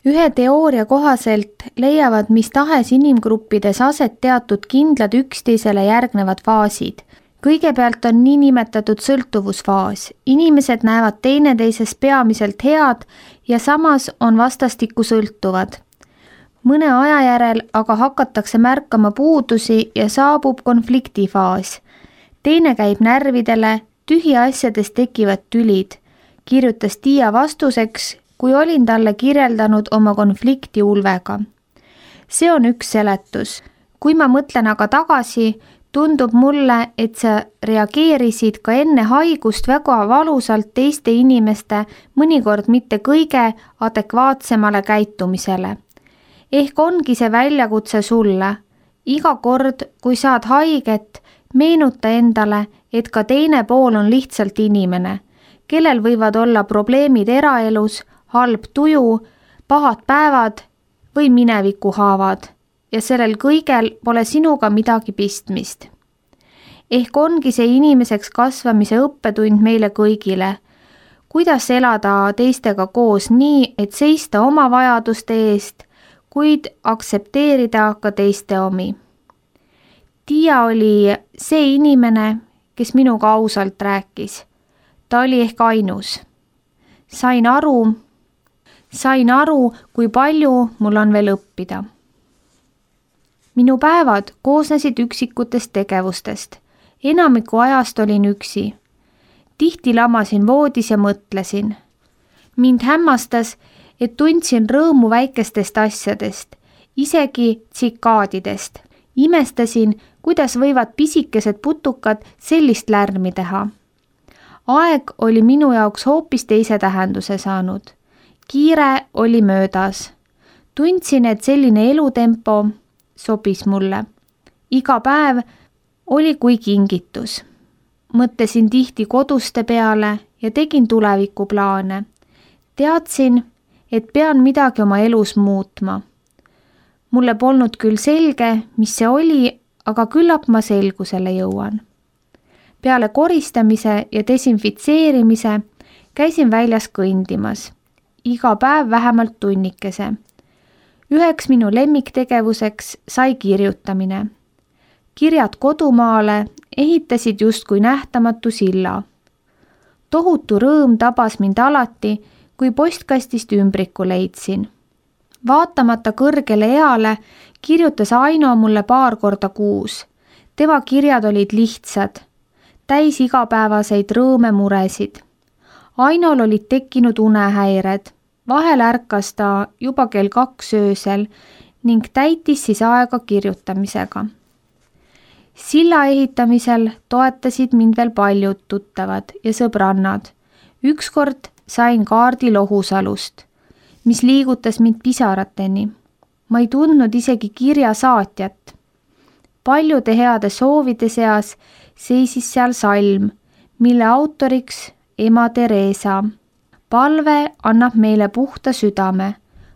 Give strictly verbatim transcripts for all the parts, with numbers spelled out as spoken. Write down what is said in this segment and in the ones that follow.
Ühe teooria kohaselt leiavad mis tahes inimgruppides aset teatud kindlad üksteisele järgnevad faasid. Kõigepealt on niinimetatud sõltuvusfaas. Inimesed näevad teineteises peamiselt head ja samas on vastastikku sõltuvad. Mõne aja järel aga hakatakse märkama puudusi ja saabub konfliktifaas. Teine käib närvidele, tühiasjadest tekivad tülid, kirjutas Tiia vastuseks, kui olin talle kirjeldanud oma konflikti Ulvega. See on üks seletus. Kui ma mõtlen aga tagasi, tundub mulle, et sa reageerisid ka enne haigust väga valusalt teiste inimeste, mõnikord mitte kõige adekvaatsemale käitumisele. Ehk ongi see väljakutse sulle. Iga kord, kui saad haiget, meenuta endale, et ka teine pool on lihtsalt inimene, kellel võivad olla probleemid eraelus, halb tuju, pahad päevad või minevikuhaavad ja sellel kõigel pole sinuga midagi pistmist. Ehk ongi see inimeseks kasvamise õppetund meile kõigile. Kuidas elada teistega koos nii, et seista oma vajaduste eest, kuid aktsepteerida ka teiste omi. Tiia oli see inimene, kes minuga ausalt rääkis. Ta oli ehk ainus. Sain aru, sain aru, kui palju mul on veel õppida. Minu päevad koosnesid üksikutest tegevustest. Enamiku ajast olin üksi. Tihti lamasin voodis ja mõtlesin. Mind hämmastas, et tundsin rõõmu väikestest asjadest, isegi tsikaadidest. Imestasin, kuidas võivad pisikesed putukad sellist lärmi teha. Aeg oli minu jaoks hoopis teise tähenduse saanud. Kiire oli möödas. Tundsin, et selline elutempo sobis mulle. Iga päev oli kui kingitus. Mõtlesin tihti koduste peale ja tegin tulevikuplaane. Teadsin, et pean midagi oma elus muutma. Mulle polnud küll selge, mis see oli, aga küllap ma selgusele jõuan. Peale koristamise ja desinfitseerimise käisin väljas kõndimas. Iga päev vähemalt tunnikese. Üheks minu lemmiktegevuseks sai kirjutamine. Kirjad kodumaale ehitasid justkui nähtamatu silla. Tohutu rõõm tabas mind alati, kui postkastist ümbriku leidsin. Vaatamata kõrgele eale kirjutas Aino mulle paar korda kuus. Tema kirjad olid lihtsad, täis igapäevaseid rõõme muresid. Ainol olid tekkinud unehäired. Vahel ärkas ta juba kell kaks öösel ning täitis siis aega kirjutamisega. Silla ehitamisel toetasid mind veel paljud tuttavad ja sõbrannad. Ükskord sain kaardi Lohusalust, mis liigutas mind pisarateni. Ma ei tundnud isegi kirja saatjat. Paljude heade soovide seas seisis seal salm, mille autoriks ema Teresa. Palve annab meile puhta südame.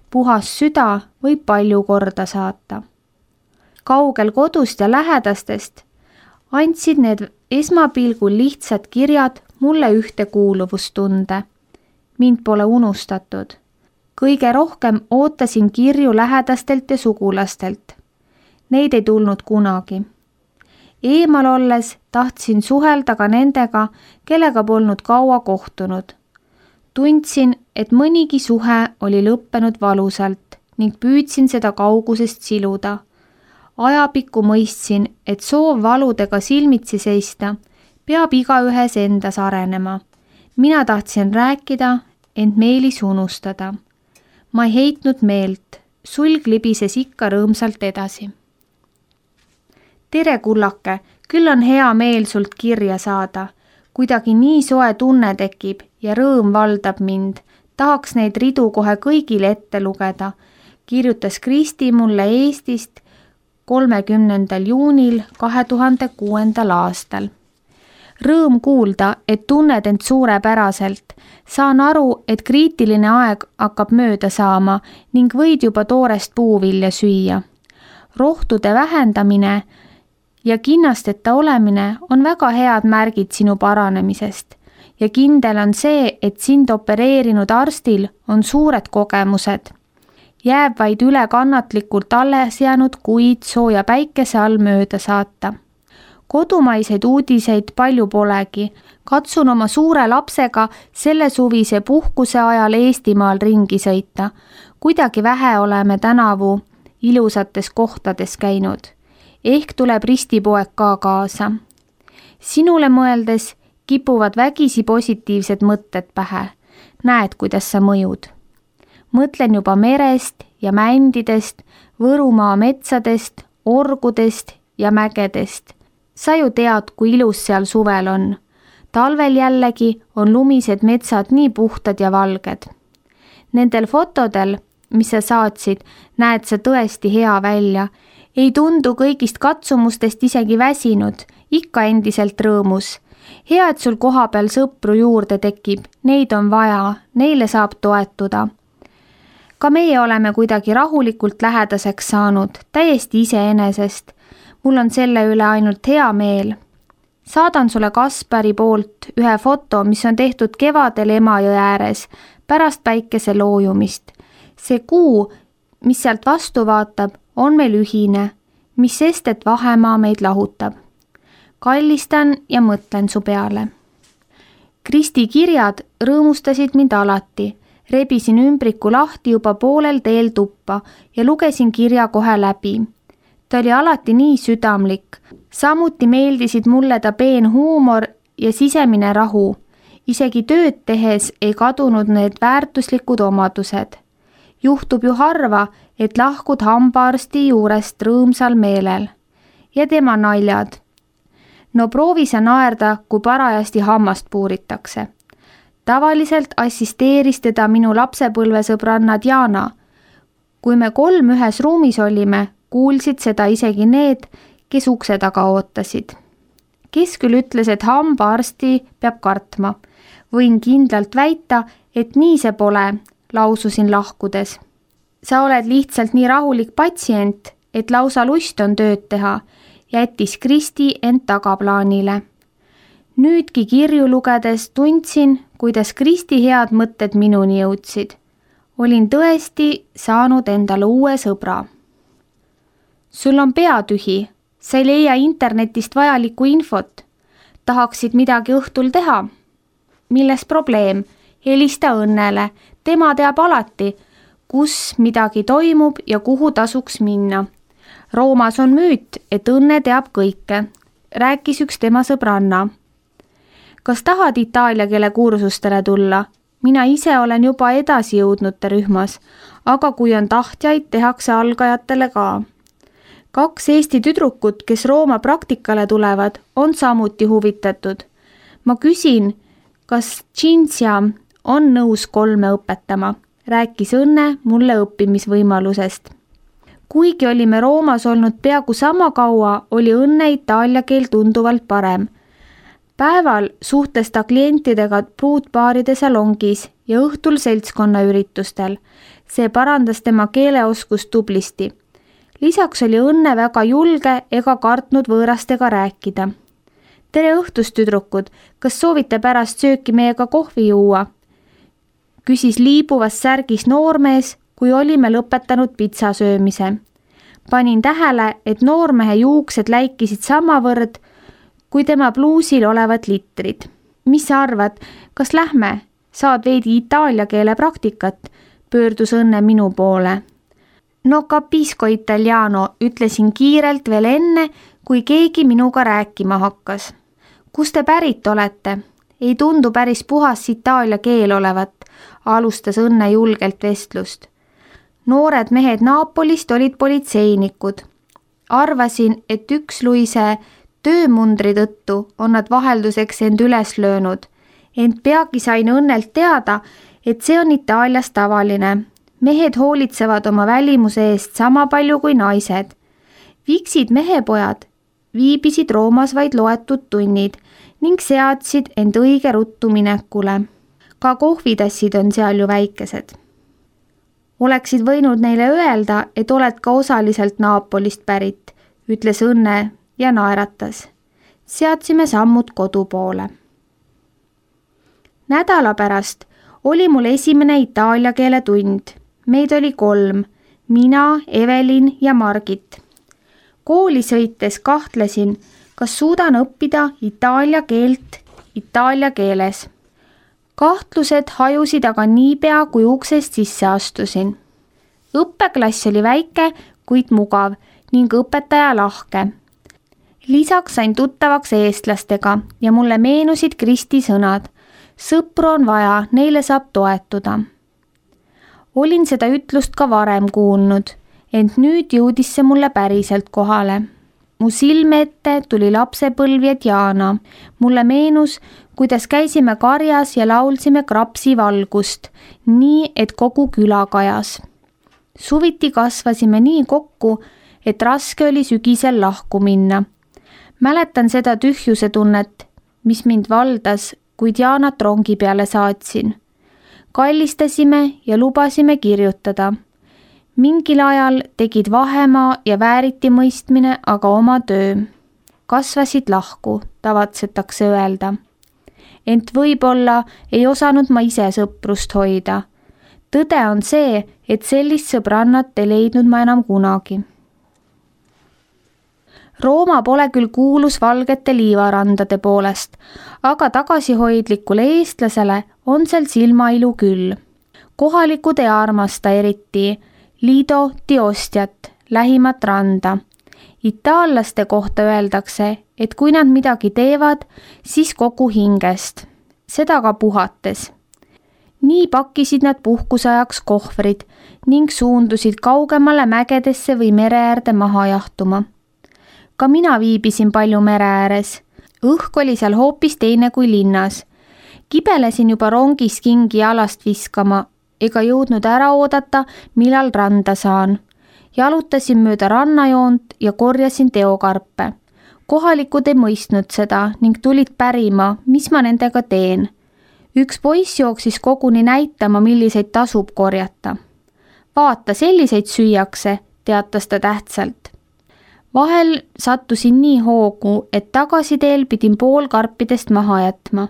Puhas süda võib palju korda saata. Kaugel kodust ja lähedastest andsid need esmapilgul lihtsad kirjad mulle ühtekuuluvustunde. Mind pole unustatud. Kõige rohkem ootasin kirju lähedastelt ja sugulastelt. Neid ei tulnud kunagi. Eemal olles tahtsin suhelda ka nendega, kellega polnud kaua kohtunud. Tundsin, et mõnigi suhe oli lõppenud valusalt ning püüdsin seda kaugusest siluda. Ajapikku mõistsin, et soov valudega silmitsi seista peab igaühes endas arenema. Mina tahtsin rääkida, ent meelis unustada. Ma ei heitnud meelt, sulg libises ikka rõõmsalt edasi. Tere kullake, küll on hea meel sult kirja saada. Kuidagi nii soe tunne tekib ja rõõm valdab mind. Tahaks neid ridu kohe kõigile ette lugeda, kirjutas Kristi mulle Eestist kolmekümnendal juunil kahe tuhande kuuendal aastal. Rõõm kuulda, et tunned end suurepäraselt. Saan aru, et kriitiline aeg hakkab mööda saama ning võid juba toorest puuvilja süüa. Rohtude vähendamine ja kinnasteta olemine on väga head märgid sinu paranemisest ja kindel on see, et sind opereerinud arstil on suured kogemused. Jääb vaid üle kannatlikult alles jäänud kuid sooja päikese all mööda saata. Kodumaiseid uudiseid palju polegi. Katsun oma suure lapsega selle suvise puhkuse ajal Eestimaal ringi sõita. Kuidagi vähe oleme tänavu ilusates kohtades käinud. Ehk tuleb ristipoeg ka kaasa. Sinule mõeldes kipuvad vägisi positiivsed mõtted pähe. Näed, kuidas sa mõjud. Mõtlen juba merest ja mändidest, Võrumaa metsadest, orgudest ja mägedest. Sa ju tead, kui ilus seal suvel on. Talvel jällegi on lumised metsad nii puhtad ja valged. Nendel fotodel, mis sa saatsid, näed sa tõesti hea välja. Ei tundu kõigist katsumustest isegi väsinud, ikka endiselt rõõmus. Hea, et sul koha peal sõpru juurde tekib, neid on vaja, neile saab toetuda. Ka meie oleme kuidagi rahulikult lähedaseks saanud, täiesti iseenesest. Mul on selle üle ainult hea meel. Saadan sulle Kaspari poolt ühe foto, mis on tehtud kevadel Emajõe ääres, pärast päikese loojumist. See kuu, mis sealt vastu vaatab, on meil ühine, mis sest, et vahemaa meid lahutab. Kallistan ja mõtlen su peale. Kristi kirjad rõõmustasid mind alati. Rebisin ümbriku lahti juba poolel teel tuppa ja lugesin kirja kohe läbi. Ta oli alati nii südamlik. Samuti meeldisid mulle ta peen huumor ja sisemine rahu. Isegi tööd tehes ei kadunud need väärtuslikud omadused. Juhtub ju harva, et lahkud hambaarsti juurest rõõmsal meelel. Ja tema naljad. No proovi sa naerda, kui parajasti hammast puuritakse. Tavaliselt assisteeris teda minu lapsepõlvesõbranna Diana. Kui me kolm ühes ruumis olime, kuulsid seda isegi need, kes ukse taga ootasid. Kes küll ütles, et hambaarsti peab kartma. Võin kindlalt väita, et nii see pole, laususin lahkudes. Sa oled lihtsalt nii rahulik patsient, et lausa lust on tööd teha, jättis Kristi end tagaplaanile. Nüüdki kirju lugedes tundsin, kuidas Kristi head mõtted minuni jõudsid. Olin tõesti saanud endale uue sõbra. Sul on pea tühi, sa ei leia internetist vajalikku infot. Tahaksid midagi õhtul teha? Milles probleem? Helista Õnnele, tema teab alati, kus midagi toimub ja kuhu tasuks minna. Roomas on müüt, et Õnne teab kõike, rääkis üks tema sõbranna. Kas tahad itaalia keele kursustele tulla? Mina ise olen juba edasi jõudnute rühmas, aga kui on tahtjaid, tehakse algajatele ka. Kaks Eesti tüdrukut, kes Rooma praktikale tulevad, on samuti huvitatud. Ma küsin, kas Cinzia on nõus kolme õpetama, rääkis Õnne mulle õppimisvõimalusest. Kuigi olime Roomas olnud peaaegu sama kaua, oli Õnne itaalia keel tunduvalt parem. Päeval suhtles ta klientidega pruutbaaride salongis ja õhtul seltskonna üritustel. See parandas tema keeleoskust tublisti. Lisaks oli Õnne väga julge ega kartnud võõrastega rääkida. Tere õhtust, tüdrukud, kas soovite pärast sööki meiega kohvi juua? Küsis liibuvas särgis noormees, kui olime lõpetanud pitsa söömise. Panin tähele, et noormehe juuksed läikisid samavõrd, kui tema pluusil olevad litrid. Mis sa arvad, kas lähme? Saad veidi itaalia keele praktikat, pöördus Õnne minu poole. No capisco italiano, ütlesin kiirelt veel enne, kui keegi minuga rääkima hakkas. Kus te pärit olete? Ei tundu päris puhas itaalia keel olevat, alustas Õnne julgelt vestlust. Noored mehed Naapolist olid politseinikud. Arvasin, et üks Luise töömundri tõttu on nad vahelduseks end üles löönud, ent peagi sain Õnnelt teada, et see on Itaalias tavaline. Mehed hoolitsevad oma välimuse eest sama palju kui naised. Viksid mehepojad viibisid Roomas vaid loetud tunnid ning seadsid end õige ruttu minekule. Ka kohvitassid on seal ju väikesed. Oleksid võinud neile öelda, et oled ka osaliselt Naapolist pärit, ütles Õnne ja naeratas. Seadsime sammud kodu poole. Nädala pärast oli mul esimene itaalia keele tund. Meid oli kolm. mina, Evelin ja Margit. Kooli sõites kahtlesin, kas suudan õppida itaalia keelt itaalia keeles. Kahtlused hajusid aga niipea, kui uksest sisse astusin. Õppeklass oli väike, kuid mugav ning õpetaja lahke. Lisaks sain tuttavaks eestlastega ja mulle meenusid Kristi sõnad. Sõpru on vaja, neile saab toetuda. Olin seda ütlust ka varem kuulnud, ent nüüd jõudis see mulle päriselt kohale. Mu silme ette tuli lapsepõlv ja Diana. Mulle meenus, kuidas käisime karjas ja laulsime Krapsi valgust, nii et kogu küla kajas. Suviti kasvasime nii kokku, et raske oli sügisel lahku minna. Mäletan seda tühjuse tunnet, mis mind valdas, kui Dianat rongi peale saatsin. Kallistasime ja lubasime kirjutada. Mingil ajal tegid vahemaa ja vääriti mõistmine aga oma töö. Kasvasid lahku, tavatsetakse öelda. Ent võib-olla ei osanud ma ise sõprust hoida. Tõde on see, et sellist sõbrannat ei leidnud ma enam kunagi. Rooma pole küll kuulus valgete liivarandade poolest, aga tagasihoidlikule eestlasele on seal silmailu küll. Kohalikud ei armasta eriti Lido di Ostiat, lähimat randa. Itaallaste kohta öeldakse, et kui nad midagi teevad, siis kogu hingest, seda ka puhates. Nii pakkisid nad puhkusajaks kohvrid ning suundusid kaugemale mägedesse või mere äärde maha jahtuma. Ka mina viibisin palju mere ääres. Õhk oli seal hoopis teine kui linnas. Kibelesin juba rongis kingi jalast viskama, ega jõudnud ära oodata, millal randa saan. Jalutasin mööda rannajoont ja korjasin teokarpe. Kohalikud ei mõistnud seda ning tulid pärima, mis ma nendega teen. Üks poiss jooksis koguni näitama, milliseid tasub korjata. Vaata, selliseid süüakse, teatas ta tähtsalt. Vahel sattusin nii hoogu, et tagasiteel pidin pool karpidest maha jätma.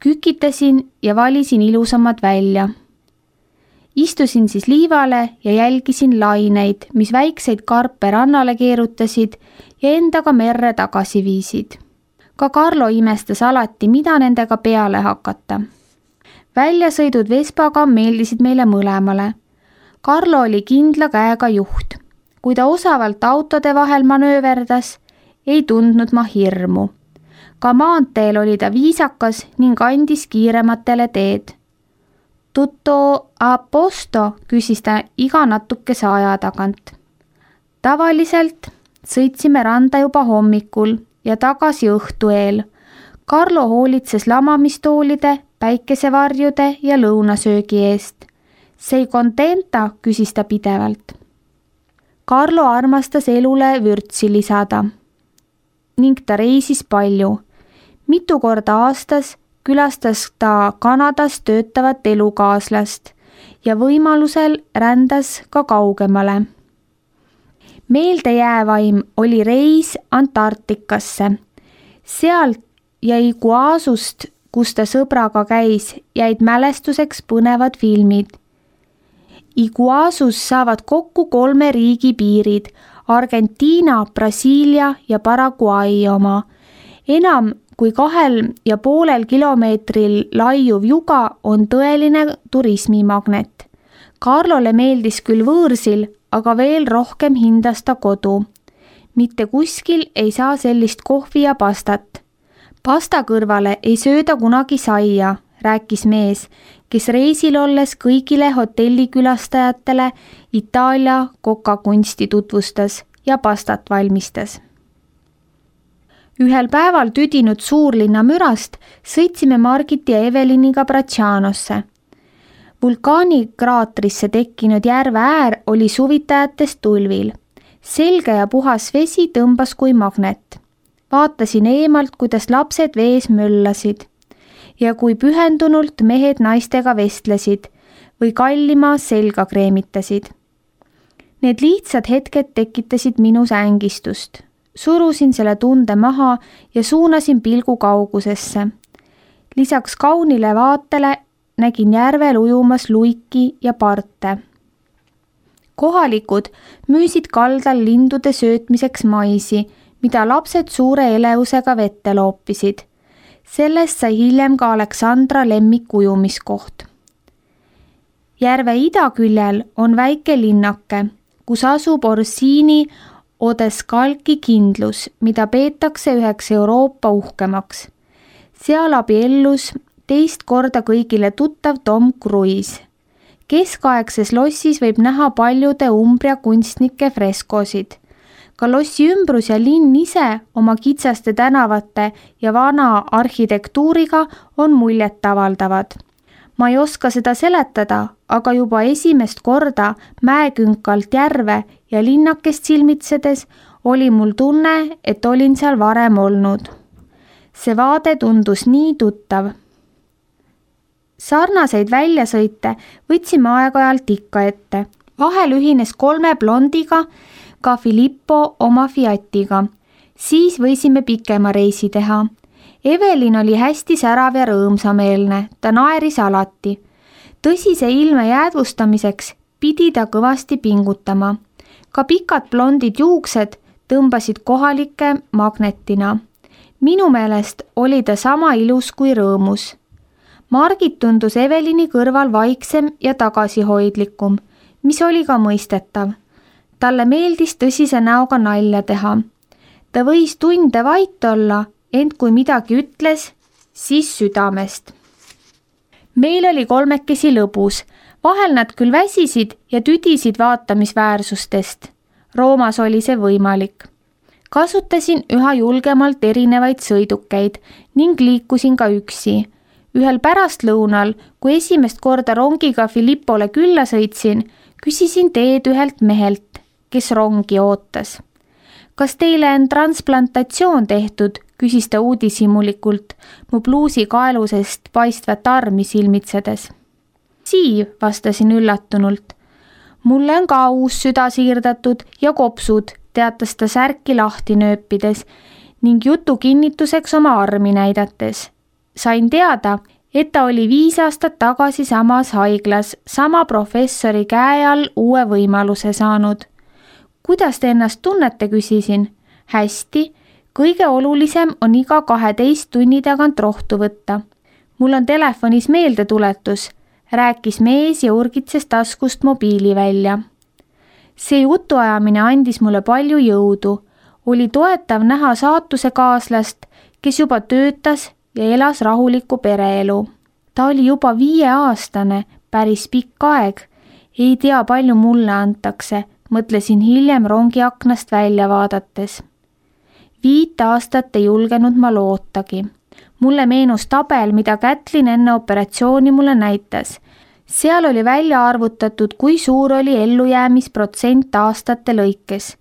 Kükitasin ja valisin ilusamad välja. Istusin siis liivale ja jälgisin laineid, mis väikseid karpe rannale keerutasid ja endaga merre tagasi viisid. Ka Carlo imestas alati, mida nendega peale hakata. Väljasõidud Vespaga meeldisid meile mõlemale. Carlo oli kindla käega juht. Kui ta osavalt autode vahel manööverdas, ei tundnud ma hirmu. Ka maanteel oli ta viisakas ning andis kiirematele teed. Tutto a posto, küsis ta iga natukese aja tagant. Tavaliselt sõitsime randa juba hommikul ja tagasi õhtu eel. Carlo hoolitses lamamistoolide, päikesevarjude ja lõunasöögi eest. Sei contenta, küsis ta pidevalt. Carlo armastas elule vürtsi lisada ning ta reisis palju. Mitu korda aastas külastas ta Kanadas töötavat elukaaslast ja võimalusel rändas ka kaugemale. Meeldejäävaim oli reis Antarktikasse. Sealt ja Iguazust, kus ta sõbraga käis, jäid mälestuseks põnevad filmid. Iguazus saavad kokku kolme riigi piirid, Argentiina, Brasiilia ja Paraguay oma. Enam kui kahel ja poolel kilomeetril laiuv juga on tõeline turismimagnet. Carlole meeldis küll võõrsil, aga veel rohkem hindas ta kodu. Mitte kuskil ei saa sellist kohvi ja pastat. Pasta kõrvale ei sööda kunagi saia, rääkis mees, kes reisil olles kõigile hotellikülastajatele Itaalia kokakunsti tutvustas ja pastat valmistas. Ühel päeval tüdinud suurlinna mürast sõitsime Margit ja Eveliniga Braccianosse. Vulkaanikraatrisse tekkinud järve äär oli suvitajatest tulvil. Selge ja puhas vesi tõmbas kui magnet. Vaatasin eemalt, kuidas lapsed vees möllasid ja kui pühendunult mehed naistega vestlesid või kallima selga kreemitasid. Need lihtsad hetked tekitasid minus ängistust. Surusin selle tunde maha ja suunasin pilgu kaugusesse. Lisaks kaunile vaatele nägin järvel ujumas luiki ja parte. kohalikud müüsid kaldal lindude söötmiseks maisi, mida lapsed suure elevusega vette loopisid. Sellest sai hiljem ka Aleksandra lemmik ujumiskoht. Järve idaküljel on väike linnake, kus asub Orsini Odescalchi kindlus, mida peetakse üheks Euroopa uhkemaks. Seal abiellus teist korda kõigile tuttav Tom Cruise. Keskaegses lossis võib näha paljude Umbria kunstnike freskosid. Ka lossi ümbrus ja linn ise oma kitsaste tänavate ja vana arhitektuuriga on muljet avaldavad. Ma ei oska seda seletada, aga juba esimest korda mäekünkalt järve ja linnakest silmitsedes oli mul tunne, et olin seal varem olnud. See vaade tundus nii tuttav. Sarnaseid väljasõite võtsime aeg-ajalt ikka ette. Vahel ühines kolme blondiga, ka Filippo oma Fiatiga. Siis võisime pikema reisi teha. Evelin oli hästi särav ja rõõmsameelne, ta naeris alati. Tõsise ilme jäädvustamiseks pidi ta kõvasti pingutama. Ka pikad blondid juuksed tõmbasid kohalike magnetina. Minu meelest oli ta sama ilus kui rõõmus. Margit tundus Evelini kõrval vaiksem ja tagasihoidlikum, mis oli ka mõistetav. Talle meeldis tõsise näoga nalja teha. Ta võis tunde vait olla, ent kui midagi ütles, siis südamest. Meil oli kolmekesi lõbus, vahel nad küll väsisid ja tüdisid vaatamisväärsustest. Roomas oli see võimalik. Kasutasin üha julgemalt erinevaid sõidukeid ning liikusin ka üksi. Ühel pärastlõunal, kui esimest korda rongiga Filippole külla sõitsin, küsisin teed ühelt mehelt, kes rongi ootas. Kas teile on transplantatsioon tehtud, küsis ta uudishimulikult, mu pluusi kaelusest paistvat armi silmitsedes. Siim, vastasin üllatunult. Mulle on ka uus süda siirdatud ja kopsud, teatas ta särki lahti nööpides ning jutu kinnituseks oma armi näidates. Sain teada, et ta oli viis aastat tagasi samas haiglas, sama professori käe all uue võimaluse saanud. Kuidas te ennast tunnete, küsisin? Hästi, kõige olulisem on iga kaheteist tunni tagant rohtu võtta. Mul on telefonis meeldetuletus, rääkis mees ja urgitses taskust mobiili välja. See jutuajamine andis mulle palju jõudu. Oli toetav näha saatuse kaaslast, kes juba töötas ja elas rahulikku pereelu. Ta oli juba viieaastane, päris pikk aeg. Ei tea, palju mulle antakse, mõtlesin hiljem rongi aknast välja vaadates. Viit aastat ei julgenud ma lootagi. Mulle meenus tabel, mida Kätlin enne operatsiooni mulle näitas. Seal oli välja arvutatud, kui suur oli ellujäämisprotsent aastate lõikes.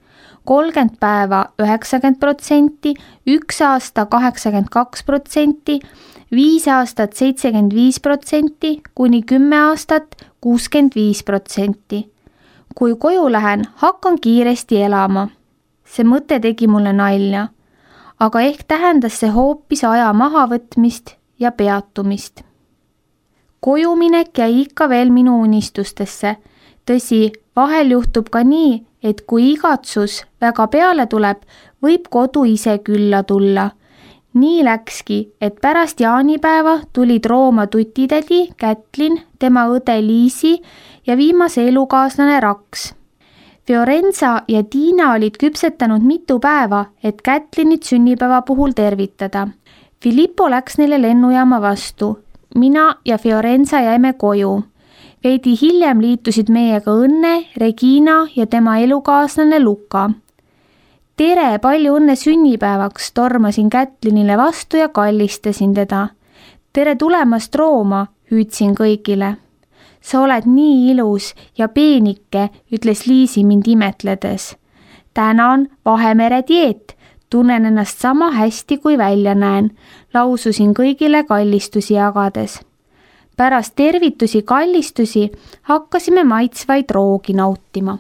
kolmkümmend päeva üheksakümmend protsenti, üks aasta kaheksakümmend kaks protsenti, viis aastat seitsekümmend viis protsenti, kuni kümme aastat kuuskümmend viis protsenti. Kui koju lähen, hakkan kiiresti elama. See mõte tegi mulle nalja, aga ehk tähendas see hoopis aja mahavõtmist ja peatumist. Kojuminek jäi ikka veel minu unistustesse. Tõsi, vahel juhtub ka nii, et kui igatsus väga peale tuleb, võib kodu ise külla tulla. Nii läkski, et pärast jaanipäeva tulid Rooma tutitädi Kätlin, tema õde Liisi ja viimase elukaaslane Raks. Fiorenza ja Tiina olid küpsetanud mitu päeva, et Kätlinit sünnipäeva puhul tervitada. Filippo läks neile lennujaama vastu. Mina ja Fiorenza jäime koju. Veidi hiljem liitusid meiega Õnne, Regina ja tema elukaaslane Luka. Tere, palju õnne sünnipäevaks, tormasin Kätlinile vastu ja kallistasin teda. Tere tulemast Rooma, hüüdsin kõigile. Sa oled nii ilus ja peenike, ütles Liisi mind imetledes. Tänan, Vahemere dieet, tunnen ennast sama hästi kui välja näen, laususin kõigile kallistusi jagades. Pärast tervitusi kallistusi hakkasime maitsvaid roogi nautima.